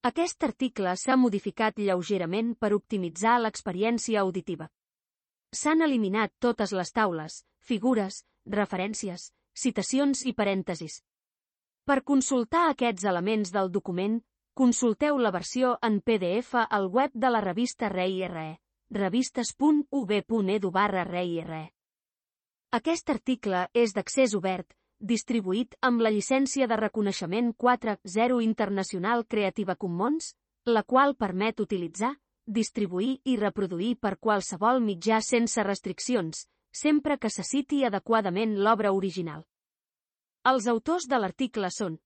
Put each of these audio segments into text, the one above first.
Aquest article s'ha modificat lleugerament per optimitzar l'experiència auditiva. S'han eliminat totes les taules, figures, referències, citacions i parèntesis. Per consultar aquests elements del document, consulteu la versió en PDF al web de la revista ReIRE, revistes.ub.edu/ReIRE. Aquest article és d'accés obert, distribuït amb la llicència de reconeixement 4.0 Internacional Creative Commons, la qual permet utilitzar, distribuir i reproduir per qualsevol mitjà sense restriccions, sempre que se citi adequadament l'obra original. Els autors de l'article són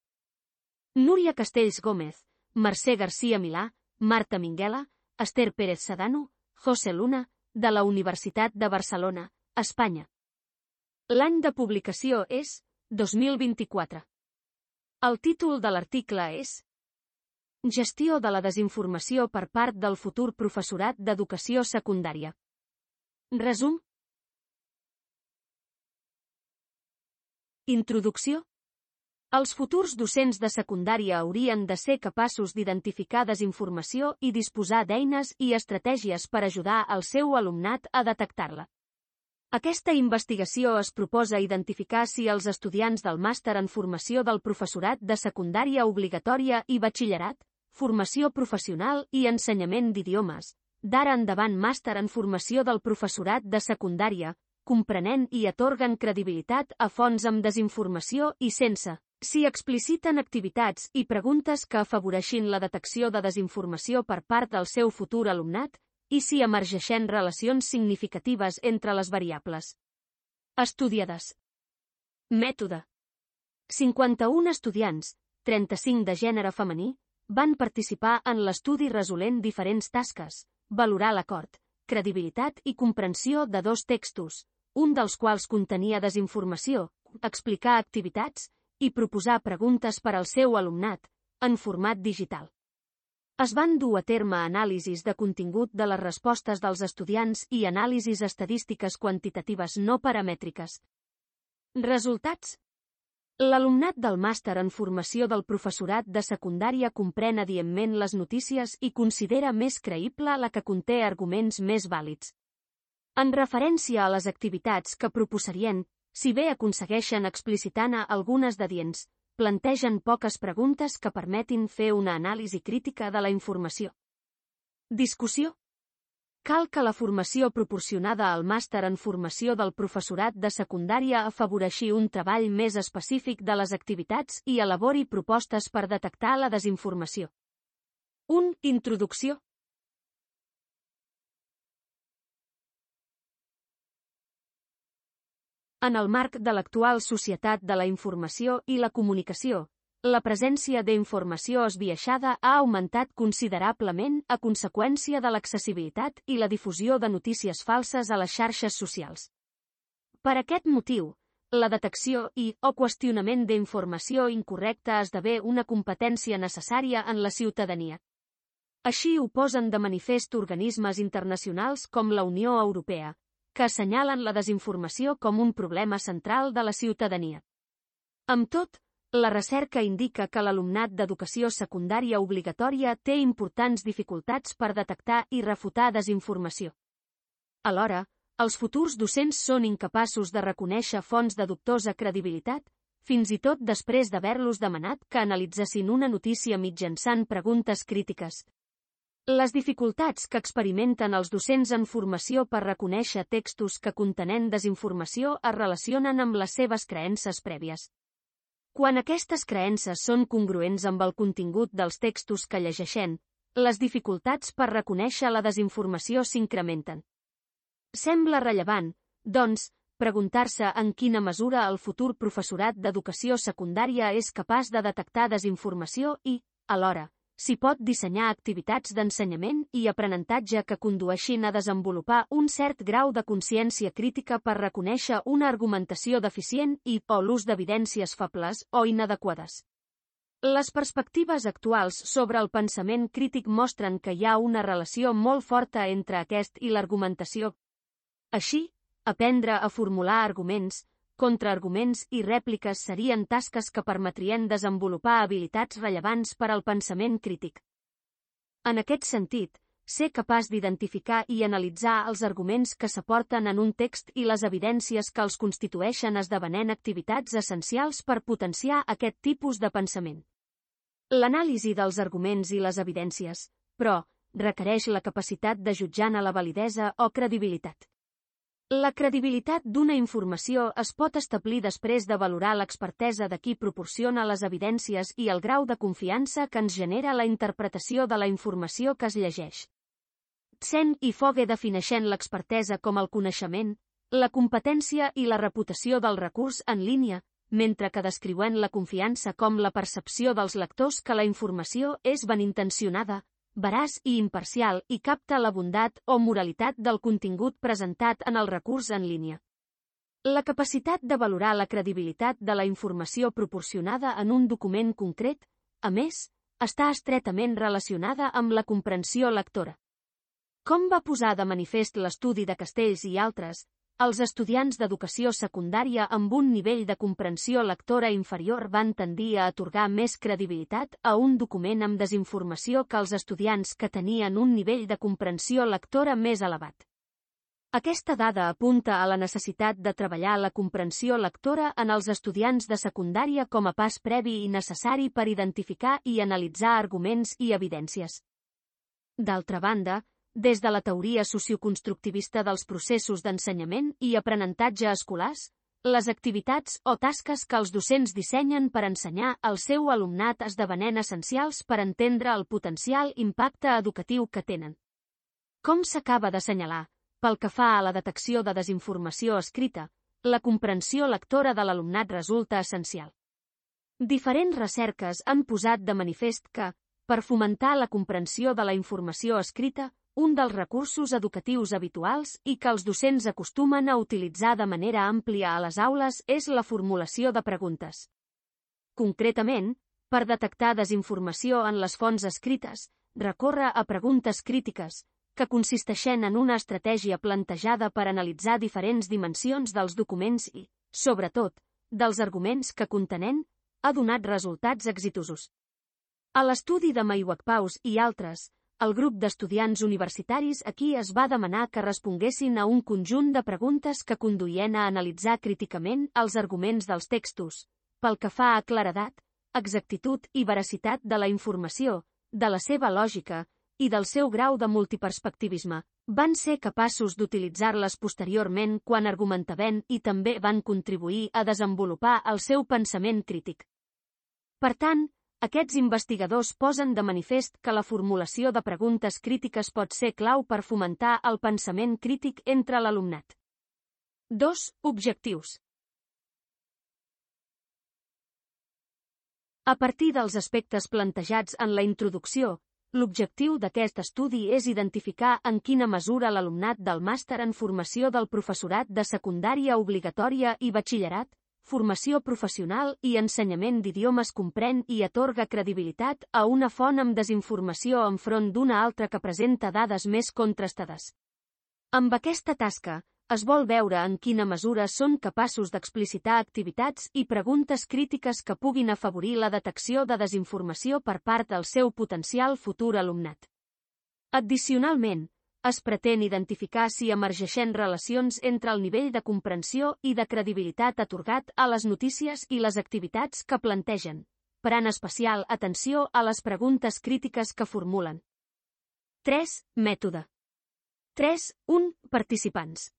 Núria Castells Gómez, Mercè García Milà, Marta Minguela, Esther Pérez Sedano, José Luna, de la Universitat de Barcelona, Espanya. L'any de publicació és 2024. El títol de l'article és Gestió de la desinformació per part del futur professorat d'educació secundària. Resum. Introducció. Els futurs docents de secundària haurien de ser capaços d'identificar desinformació i disposar d'eines i estratègies per ajudar al seu alumnat a detectar-la. Aquesta investigació es proposa identificar si els estudiants del màster en formació del professorat de secundària obligatòria i batxillerat, formació professional i ensenyament d'idiomes, d'ara endavant màster en formació del professorat de secundària, comprenent i atorguen credibilitat a fonts amb desinformació i sense, si expliciten activitats i preguntes que afavoreixin la detecció de desinformació per part del seu futur alumnat, i si emergeixen relacions significatives entre les variables estudiades. Mètode. 51 estudiants, 35 de gènere femení, van participar en l'estudi resolent diferents tasques, valorar l'acord, credibilitat i comprensió de 2 textos, un dels quals contenia desinformació, explicar activitats i proposar preguntes per al seu alumnat, en format digital. Es van dur a terme anàlisis de contingut de les respostes dels estudiants i anàlisis estadístiques quantitatives no paramètriques. Resultats. L'alumnat del màster en formació del professorat de secundària comprèn adientment les notícies i considera més creïble la que conté arguments més vàlids. En referència a les activitats que proposarien, si bé aconsegueixen explicitar-ne algunes d'adients, plantegen poques preguntes que permetin fer una anàlisi crítica de la informació. Discussió. Cal que la formació proporcionada al màster en formació del professorat de secundària afavoreixi un treball més específic de les activitats i elabori propostes per detectar la desinformació. 1. Introducció. En el marc de l'actual societat de la informació i la comunicació, la presència d'informació esbiaixada ha augmentat considerablement a conseqüència de l'accessibilitat i la difusió de notícies falses a les xarxes socials. Per aquest motiu, la detecció o qüestionament d'informació incorrecta esdevé una competència necessària en la ciutadania. Així ho posen de manifest organismes internacionals com la Unió Europea, que assenyalen la desinformació com un problema central de la ciutadania. Amb tot, la recerca indica que l'alumnat d'educació secundària obligatòria té importants dificultats per detectar i refutar desinformació. Alhora, els futurs docents són incapaços de reconèixer fonts de dubtosa credibilitat, fins i tot després d'haver-los demanat que analitzessin una notícia mitjançant preguntes crítiques. Les dificultats que experimenten els docents en formació per reconèixer textos que contenen desinformació es relacionen amb les seves creences prèvies. Quan aquestes creences són congruents amb el contingut dels textos que llegeixen, les dificultats per reconèixer la desinformació s'incrementen. Sembla rellevant, doncs, preguntar-se en quina mesura el futur professorat d'educació secundària és capaç de detectar desinformació i, alhora, s'hi pot dissenyar activitats d'ensenyament i aprenentatge que condueixin a desenvolupar un cert grau de consciència crítica per reconèixer una argumentació deficient o l'ús d'evidències febles o inadequades. Les perspectives actuals sobre el pensament crític mostren que hi ha una relació molt forta entre aquest i l'argumentació. Així, aprendre a formular arguments, contraarguments i rèpliques serien tasques que permetrien desenvolupar habilitats rellevants per al pensament crític. En aquest sentit, ser capaç d'identificar i analitzar els arguments que s'aporten en un text i les evidències que els constitueixen esdevenent activitats essencials per potenciar aquest tipus de pensament. L'anàlisi dels arguments i les evidències, però, requereix la capacitat de jutjar-ne la validesa o credibilitat. La credibilitat d'una informació es pot establir després de valorar l'expertesa de qui proporciona les evidències i el grau de confiança que ens genera la interpretació de la informació que es llegeix. Sen i Fogge defineixen l'expertesa com el coneixement, la competència i la reputació del recurs en línia, mentre que descriuen la confiança com la percepció dels lectors que la informació és benintencionada, veraç i imparcial i capta la bondat o moralitat del contingut presentat en el recurs en línia. La capacitat de valorar la credibilitat de la informació proporcionada en un document concret, a més, està estretament relacionada amb la comprensió lectora. Com va posar de manifest l'estudi de Castells i altres, els estudiants d'educació secundària amb un nivell de comprensió lectora inferior van tendir a atorgar més credibilitat a un document amb desinformació que els estudiants que tenien un nivell de comprensió lectora més elevat. Aquesta dada apunta a la necessitat de treballar la comprensió lectora en els estudiants de secundària com a pas previ i necessari per identificar i analitzar arguments i evidències. D'altra banda, des de la teoria socioconstructivista dels processos d'ensenyament i aprenentatge escolars, les activitats o tasques que els docents dissenyen per ensenyar al seu alumnat esdevenent essencials per entendre el potencial impacte educatiu que tenen. Com s'acaba d'assenyalar, pel que fa a la detecció de desinformació escrita, la comprensió lectora de l'alumnat resulta essencial. Diferents recerques han posat de manifest que, per fomentar la comprensió de la informació escrita, un dels recursos educatius habituals i que els docents acostumen a utilitzar de manera àmplia a les aules és la formulació de preguntes. Concretament, per detectar desinformació en les fonts escrites, recorre a preguntes crítiques, que consisteixen en una estratègia plantejada per analitzar diferents dimensions dels documents i, sobretot, dels arguments que contenen, ha donat resultats exitosos. A l'estudi de Maywakpaus i altres, el grup d'estudiants universitaris aquí es va demanar que responguessin a un conjunt de preguntes que conduïen a analitzar críticament els arguments dels textos, pel que fa a claredat, exactitud i veracitat de la informació, de la seva lògica i del seu grau de multiperspectivisme. Van ser capaços d'utilitzar-les posteriorment quan argumentaven i també van contribuir a desenvolupar el seu pensament crític. Per tant, aquests investigadors posen de manifest que la formulació de preguntes crítiques pot ser clau per fomentar el pensament crític entre l'alumnat. 2. Objectius. A partir dels aspectes plantejats en la introducció, l'objectiu d'aquest estudi és identificar en quina mesura l'alumnat del màster en formació del professorat de secundària obligatòria i batxillerat, formació professional i ensenyament d'idiomes comprèn i atorga credibilitat a una font amb desinformació enfront d'una altra que presenta dades més contrastades. Amb aquesta tasca, es vol veure en quina mesura són capaços d'explicitar activitats i preguntes crítiques que puguin afavorir la detecció de desinformació per part del seu potencial futur alumnat. Addicionalment, es pretén identificar si emergeixen relacions entre el nivell de comprensió i de credibilitat atorgat a les notícies i les activitats que plantegen, parant especial atenció a les preguntes crítiques que formulen. 3. Mètode. 3.1. Participants.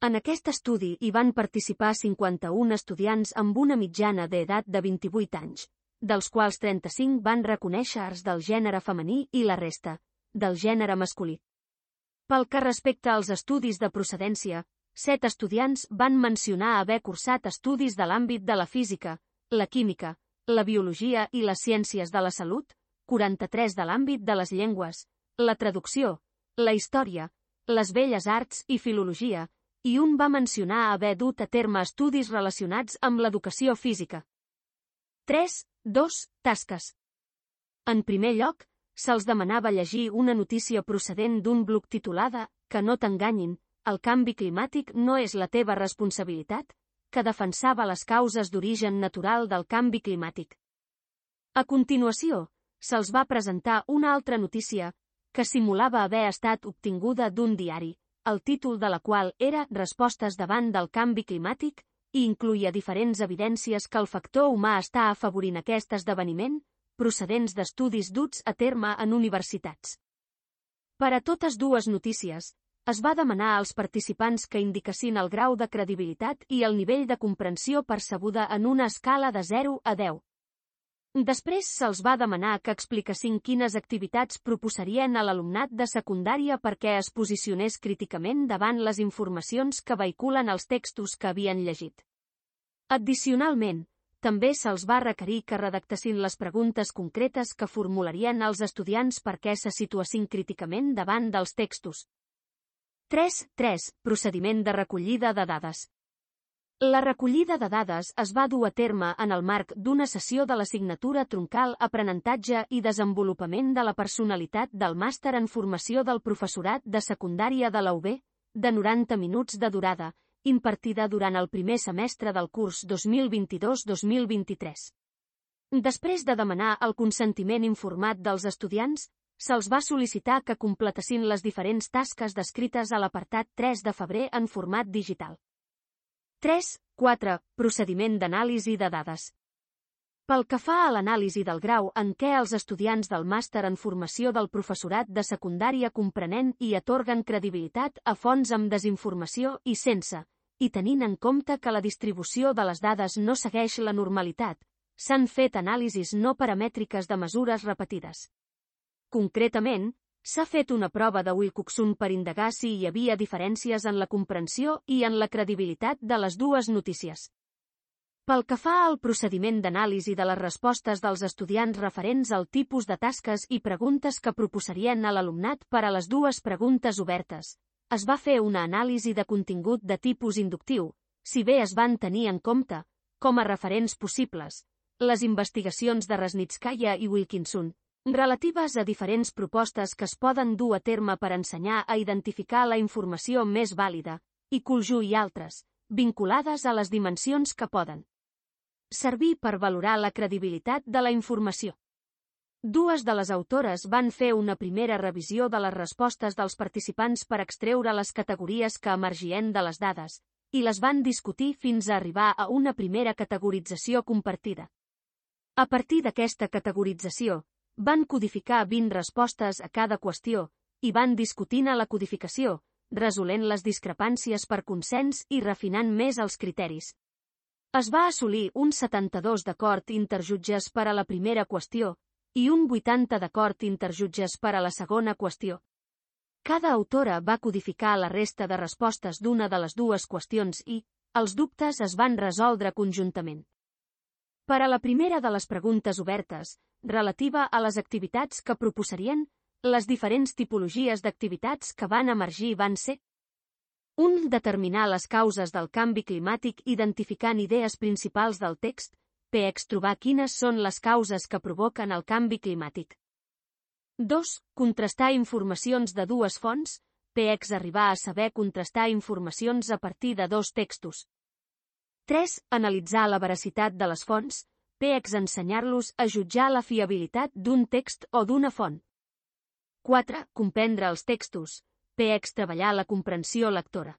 En aquest estudi hi van participar 51 estudiants amb una mitjana d'edat de 28 anys, dels quals 35 van reconèixer-se del gènere femení i la resta, del gènere masculí. Pel que respecta als estudis de procedència, 7 estudiants van mencionar haver cursat estudis de l'àmbit de la física, la química, la biologia i les ciències de la salut, 43 de l'àmbit de les llengües, la traducció, la història, les belles arts i filologia, i un va mencionar haver dut a terme estudis relacionats amb l'educació física. 3.2. Tasques. En primer lloc, se'ls demanava llegir una notícia procedent d'un blog titulada «Que no t'enganyin, el canvi climàtic no és la teva responsabilitat», que defensava les causes d'origen natural del canvi climàtic. A continuació, se'ls va presentar una altra notícia, que simulava haver estat obtinguda d'un diari, el títol de la qual era Respostes davant del canvi climàtic, i incluïa diferents evidències que el factor humà està afavorint aquest esdeveniment, procedents d'estudis duts a terme en universitats. Per a totes dues notícies, es va demanar als participants que indiquessin el grau de credibilitat i el nivell de comprensió percebuda en una escala de 0 a 10. Després se'ls va demanar que expliquessin quines activitats proposarien a l'alumnat de secundària perquè es posicionés críticament davant les informacions que vehiculen els textos que havien llegit. Addicionalment, també se'ls va requerir que redactessin les preguntes concretes que formularien els estudiants perquè se situessin críticament davant dels textos. 3. Procediment de recollida de dades. La recollida de dades es va dur a terme en el marc d'una sessió de l'assignatura troncal Aprenentatge i Desenvolupament de la Personalitat del Màster en Formació del Professorat de Secundària de la UB, de 90 minuts de durada, impartida durant el primer semestre del curs 2022-2023. Després de demanar el consentiment informat dels estudiants, se'ls va sol·licitar que completessin les diferents tasques descrites a l'apartat 3 de febrer en format digital. 4. Procediment d'anàlisi de dades. Pel que fa a l'anàlisi del grau en què els estudiants del màster en formació del professorat de secundària comprenen i atorguen credibilitat a fonts amb desinformació i sense, i tenint en compte que la distribució de les dades no segueix la normalitat, s'han fet anàlisis no paramètriques de mesures repetides. Concretament, s'ha fet una prova de Wilcoxon per indagar si hi havia diferències en la comprensió i en la credibilitat de les dues notícies. Pel que fa al procediment d'anàlisi de les respostes dels estudiants referents al tipus de tasques i preguntes que proposarien a l'alumnat per a les dues preguntes obertes, es va fer una anàlisi de contingut de tipus inductiu, si bé es van tenir en compte, com a referents possibles, les investigacions de Resnitskaya i Wilkinson, relatives a diferents propostes que es poden dur a terme per ensenyar a identificar la informació més vàlida, i Kulju i altres, vinculades a les dimensions que poden servir per valorar la credibilitat de la informació. Dues de les autores van fer una primera revisió de les respostes dels participants per extreure les categories que emergien de les dades, i les van discutir fins a arribar a una primera categorització compartida. A partir d'aquesta categorització, van codificar 20 respostes a cada qüestió, i van discutint a la codificació, resolent les discrepàncies per consens i refinant més els criteris. Es va assolir un 72 d'acord interjutges per a la primera qüestió, i un 80 d'acord interjutges per a la segona qüestió. Cada autora va codificar la resta de respostes d'una de les dues qüestions i, els dubtes es van resoldre conjuntament. Per a la primera de les preguntes obertes, relativa a les activitats que proposarien, les diferents tipologies d'activitats que van emergir van ser 1. Determinar les causes del canvi climàtic identificant idees principals del text, px trobar quines són les causes que provoquen el canvi climàtic. 2. Contrastar informacions de dues fonts, px arribar a saber contrastar informacions a partir de dos textos. 3. Analitzar la veracitat de les fonts, px ensenyar-los a jutjar la fiabilitat d'un text o d'una font. 4. Comprendre els textos, px treballar la comprensió lectora.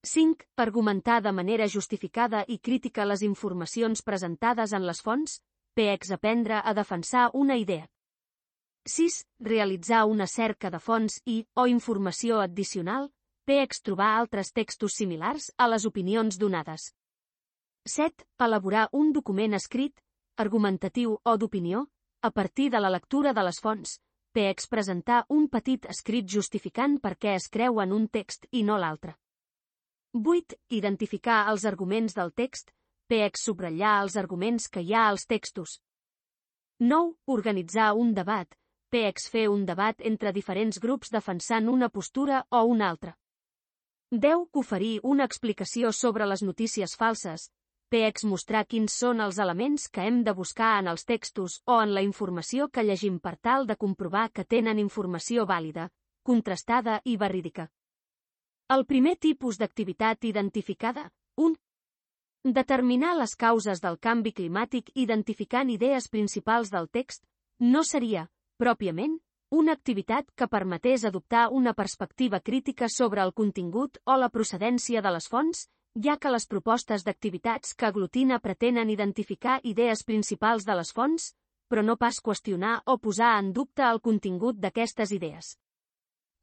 5. Argumentar de manera justificada i crítica les informacions presentades en les fonts, px aprendre a defensar una idea. 6. Realitzar una cerca de fonts i, o informació addicional, px trobar altres textos similars a les opinions donades. 7. Elaborar un document escrit, argumentatiu o d'opinió, a partir de la lectura de les fonts, px presentar un petit escrit justificant per què es creu en un text i no l'altre. 8. Identificar els arguments del text, px subratllar els arguments que hi ha als textos. 9. Organitzar un debat, px fer un debat entre diferents grups defensant una postura o una altra. 10. Oferir una explicació sobre les notícies falses, px mostrar quins són els elements que hem de buscar en els textos o en la informació que llegim per tal de comprovar que tenen informació vàlida, contrastada i verídica. El primer tipus d'activitat identificada, 1. Determinar les causes del canvi climàtic identificant idees principals del text, No seria, pròpiament, una activitat que permetés adoptar una perspectiva crítica sobre el contingut o la procedència de les fonts, ja que les propostes d'activitats que aglutina pretenen identificar idees principals de les fonts, però no pas qüestionar o posar en dubte el contingut d'aquestes idees.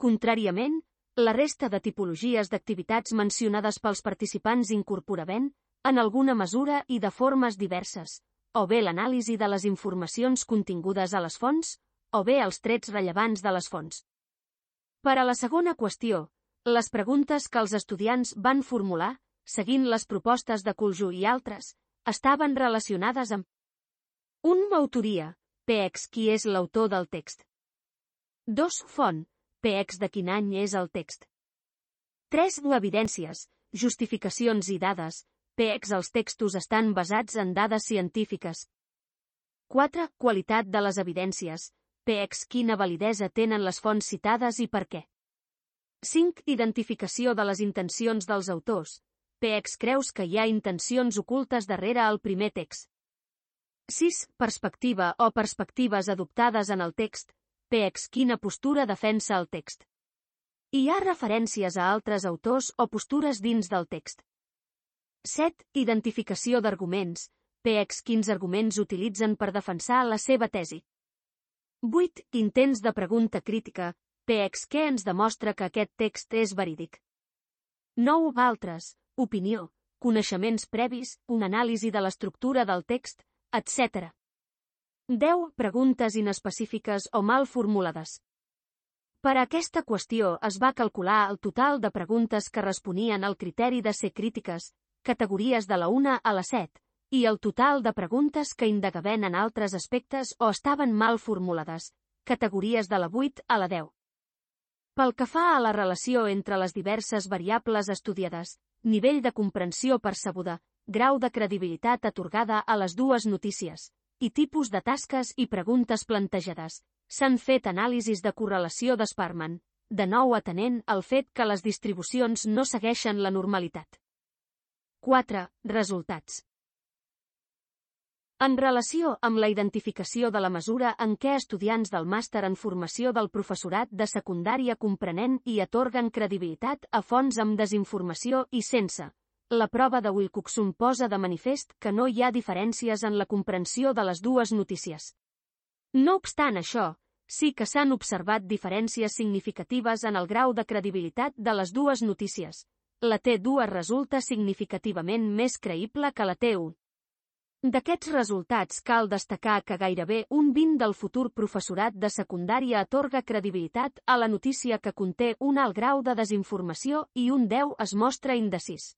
Contràriament, la resta de tipologies d'activitats mencionades pels participants incorporaven, en alguna mesura i de formes diverses, o bé l'anàlisi de les informacions contingudes a les fonts, o bé els trets rellevants de les fonts. Per a la segona qüestió, les preguntes que els estudiants van formular, seguint les propostes de Kulju i altres, estaven relacionades amb 1. Autoria, PX qui és l'autor del text. 2. Font, PX de quin any és el text. 3. Evidències, justificacions i dades, PX els textos estan basats en dades científiques. 4. Qualitat de les evidències, PX quina validesa tenen les fonts citades i per què. 5. Identificació de les intencions dels autors, PX creus que hi ha intencions ocultes darrere el primer text. 6. Perspectiva o perspectives adoptades en el text, PX quina postura defensa el text. Hi ha referències a altres autors o postures dins del text. 7. Identificació d'arguments, PX quins arguments utilitzen per defensar la seva tesi. 8. Intents de pregunta crítica, PX què ens demostra que aquest text és verídic. 9. Altres, opinió, coneixements previs, una anàlisi de l'estructura del text, etc. 10. Preguntes inespecífiques o mal formulades. Per a aquesta qüestió es va calcular el total de preguntes que responien al criteri de ser crítiques, categories de la 1 a la 7, i el total de preguntes que indagaven en altres aspectes o estaven mal formulades, categories de la 8 a la 10. Pel que fa a la relació entre les diverses variables estudiades, nivell de comprensió percebuda, grau de credibilitat atorgada a les dues notícies, i tipus de tasques i preguntes plantejades, s'han fet anàlisis de correlació de Sparman, de nou atenent al fet que les distribucions no segueixen la normalitat. 4. Resultats. En relació amb la identificació de la mesura en què estudiants del màster en formació del professorat de secundària comprenen i atorguen credibilitat a fonts amb desinformació i sense, la prova de Wilcoxon posa de manifest que no hi ha diferències en la comprensió de les dues notícies. No obstant això, sí que s'han observat diferències significatives en el grau de credibilitat de les dues notícies. La T2 resulta significativament més creïble que la T1. D'aquests resultats cal destacar que gairebé un 20 del futur professorat de secundària atorga credibilitat a la notícia que conté un alt grau de desinformació i un 10 es mostra indecís.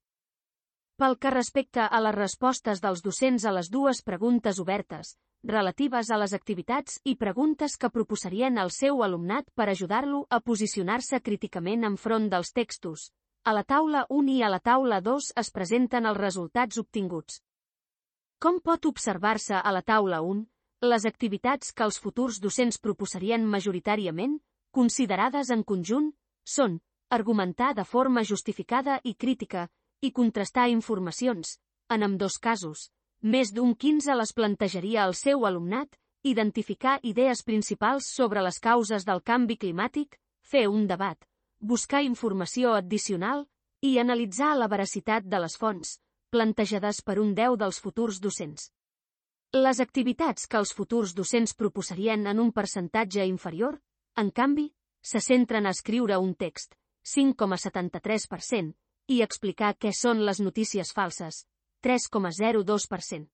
Pel que respecta a les respostes dels docents a les dues preguntes obertes, relatives a les activitats i preguntes que proposarien al seu alumnat per ajudar-lo a posicionar-se críticament enfront dels textos, a la taula 1 i a la taula 2 es presenten els resultats obtinguts. Com pot observar-se a la taula 1, les activitats que els futurs docents proposarien majoritàriament, considerades en conjunt, són argumentar de forma justificada i crítica i contrastar informacions, en ambdós casos. Més d'un 15 les plantejaria al seu alumnat, identificar idees principals sobre les causes del canvi climàtic, fer un debat, buscar informació addicional i analitzar la veracitat de les fonts, plantejades per un 10 dels futurs docents. Les activitats que els futurs docents proposarien en un percentatge inferior, en canvi, se centren a escriure un text, 5,73%, i explicar què són les notícies falses, 3,02%.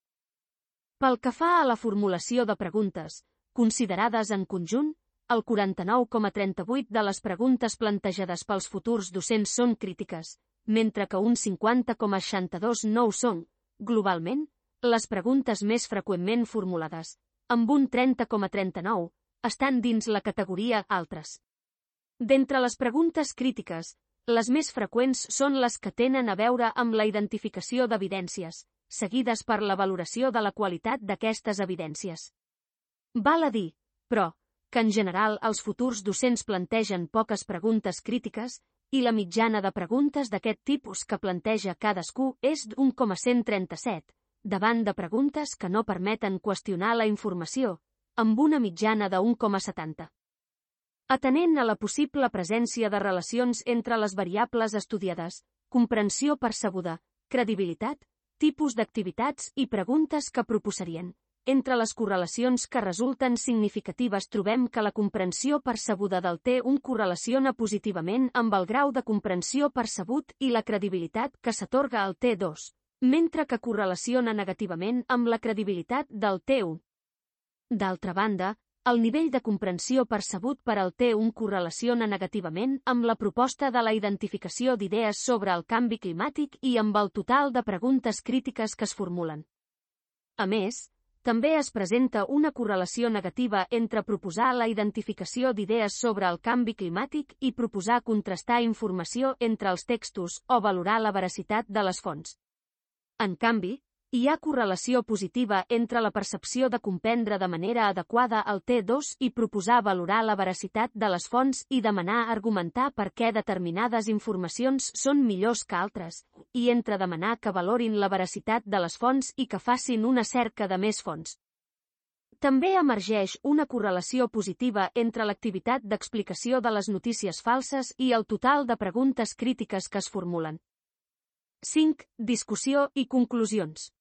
Pel que fa a la formulació de preguntes, considerades en conjunt, el 49,38% de les preguntes plantejades pels futurs docents són crítiques, mentre que un 50,62% no ho són. Globalment, les preguntes més freqüentment formulades, amb un 30,39%, estan dins la categoria altres. D'entre les preguntes crítiques, les més freqüents són les que tenen a veure amb la identificació d'evidències, seguides per la valoració de la qualitat d'aquestes evidències. Val a dir, però, que en general els futurs docents plantegen poques preguntes crítiques, i la mitjana de preguntes d'aquest tipus que planteja cadascú és d'1,137, davant de preguntes que no permeten qüestionar la informació, amb una mitjana de 1,70. Atenent a la possible presència de relacions entre les variables estudiades, comprensió percebuda, credibilitat, tipus d'activitats i preguntes que proposarien. Entre les correlacions que resulten significatives trobem que la comprensió percebuda del T1 correlaciona positivament amb el grau de comprensió percebut i la credibilitat que s'atorga al T2, mentre que correlaciona negativament amb la credibilitat del T1. D'altra banda, el nivell de comprensió percebut per al T1 correlaciona negativament amb la proposta de la identificació d'idees sobre el canvi climàtic i amb el total de preguntes crítiques que es formulen. A més, també es presenta una correlació negativa entre proposar la identificació d'idees sobre el canvi climàtic i proposar contrastar informació entre els textos o valorar la veracitat de les fonts. En canvi, hi ha correlació positiva entre la percepció de comprendre de manera adequada el T2 i proposar valorar la veracitat de les fonts i demanar argumentar per què determinades informacions són millors que altres, i entre demanar que valorin la veracitat de les fonts i que facin una cerca de més fonts. També emergeix una correlació positiva entre l'activitat d'explicació de les notícies falses i el total de preguntes crítiques que es formulen. 5. Discussió i conclusions.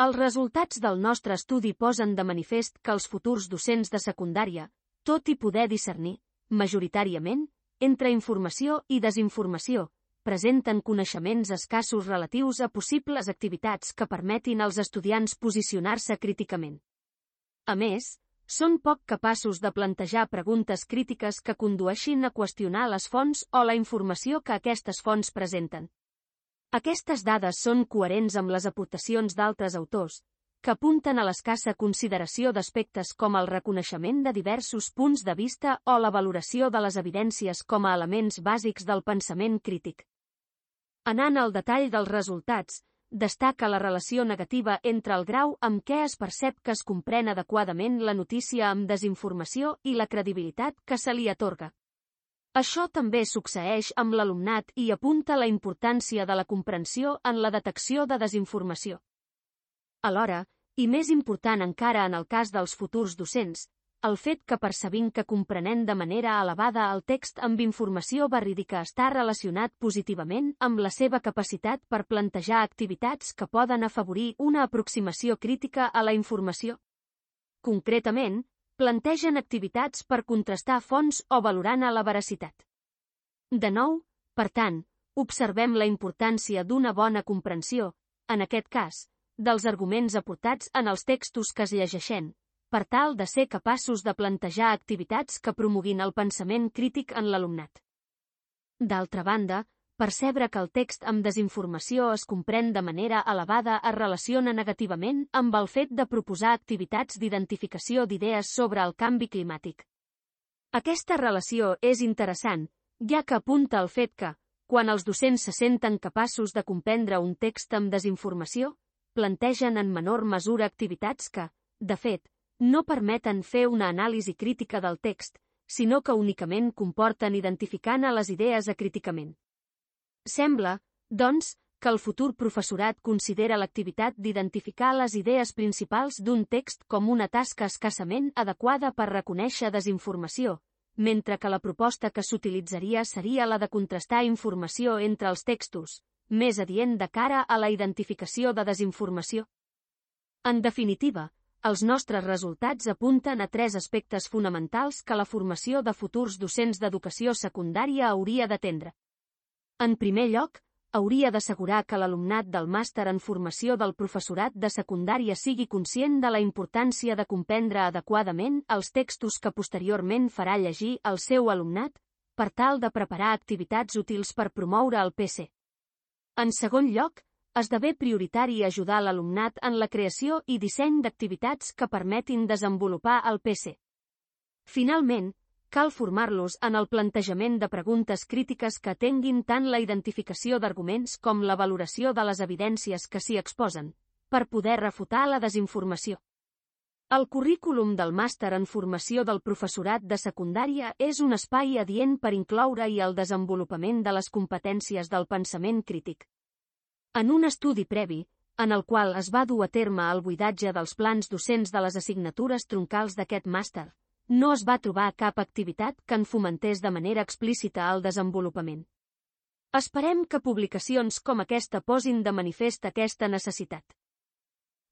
Els resultats del nostre estudi posen de manifest que els futurs docents de secundària, tot i poder discernir, majoritàriament, entre informació i desinformació, presenten coneixements escassos relatius a possibles activitats que permetin als estudiants posicionar-se críticament. A més, són poc capaços de plantejar preguntes crítiques que condueixin a qüestionar les fonts o la informació que aquestes fonts presenten. Aquestes dades són coherents amb les aportacions d'altres autors, que apunten a l'escassa consideració d'aspectes com el reconeixement de diversos punts de vista o la valoració de les evidències com a elements bàsics del pensament crític. Anant al detall dels resultats, destaca la relació negativa entre el grau amb què es percep que es comprèn adequadament la notícia amb desinformació i la credibilitat que se li atorga. Això també succeeix amb l'alumnat i apunta la importància de la comprensió en la detecció de desinformació. Alhora, i més important encara en el cas dels futurs docents, el fet que percebim que comprenent de manera elevada el text amb informació verídica està relacionat positivament amb la seva capacitat per plantejar activitats que poden afavorir una aproximació crítica a la informació. Concretament, plantegen activitats per contrastar fonts o valorant-ne la veracitat. De nou, per tant, observem la importància d'una bona comprensió, en aquest cas, dels arguments aportats en els textos que es llegeixen, per tal de ser capaços de plantejar activitats que promoguin el pensament crític en l'alumnat. D'altra banda, percebre que el text amb desinformació es comprèn de manera elevada es relaciona negativament amb el fet de proposar activitats d'identificació d'idees sobre el canvi climàtic. Aquesta relació és interessant, ja que apunta al fet que, quan els docents se senten capaços de comprendre un text amb desinformació, plantegen en menor mesura activitats que, de fet, no permeten fer una anàlisi crítica del text, sinó que únicament comporten identificant a les idees acríticament. Sembla, doncs, que el futur professorat considera l'activitat d'identificar les idees principals d'un text com una tasca escassament adequada per reconèixer desinformació, mentre que la proposta que s'utilitzaria seria la de contrastar informació entre els textos, més adient de cara a la identificació de desinformació. En definitiva, els nostres resultats apunten a 3 aspectes fonamentals que la formació de futurs docents d'educació secundària hauria d'atendre. En primer lloc, hauria d'assegurar que l'alumnat del màster en formació del professorat de secundària sigui conscient de la importància de comprendre adequadament els textos que posteriorment farà llegir al seu alumnat, per tal de preparar activitats útils per promoure el PC. En segon lloc, esdevé prioritari ajudar l'alumnat en la creació i disseny d'activitats que permetin desenvolupar el PC. Finalment, cal formar-los en el plantejament de preguntes crítiques que atenguin tant la identificació d'arguments com la valoració de les evidències que s'hi exposen, per poder refutar la desinformació. El currículum del màster en formació del professorat de secundària és un espai adient per incloure-hi el desenvolupament de les competències del pensament crític. En un estudi previ, en el qual es va dur a terme el buidatge dels plans docents de les assignatures troncals d'aquest màster, no es va trobar cap activitat que en fomentés de manera explícita el desenvolupament. Esperem que publicacions com aquesta posin de manifest aquesta necessitat.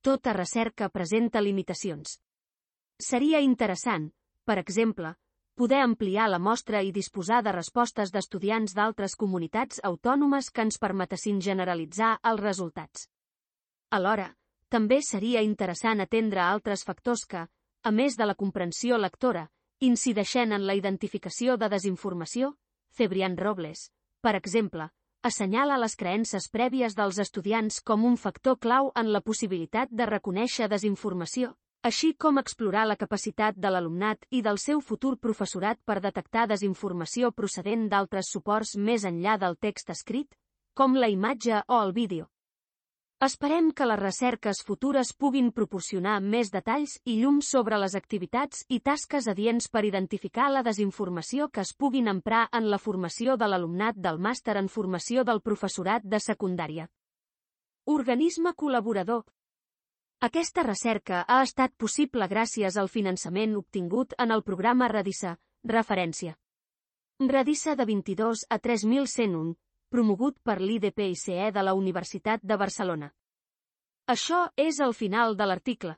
Tota recerca presenta limitacions. Seria interessant, per exemple, poder ampliar la mostra i disposar de respostes d'estudiants d'altres comunitats autònomes que ens permetessin generalitzar els resultats. Alhora, també seria interessant atendre altres factors que, a més de la comprensió lectora, incideixen en la identificació de desinformació. Cebrián Robles, per exemple, assenyala les creences prèvies dels estudiants com un factor clau en la possibilitat de reconèixer desinformació, així com explorar la capacitat de l'alumnat i del seu futur professorat per detectar desinformació procedent d'altres suports més enllà del text escrit, com la imatge o el vídeo. Esperem que les recerques futures puguin proporcionar més detalls i llum sobre les activitats i tasques adients per identificar la desinformació que es puguin emprar en la formació de l'alumnat del màster en formació del professorat de secundària. Organisme col·laborador. Aquesta recerca ha estat possible gràcies al finançament obtingut en el programa Radissa, referència. Radissa de 22 a 3101, promogut per l'IDPICE de la Universitat de Barcelona. Això és el final de l'article.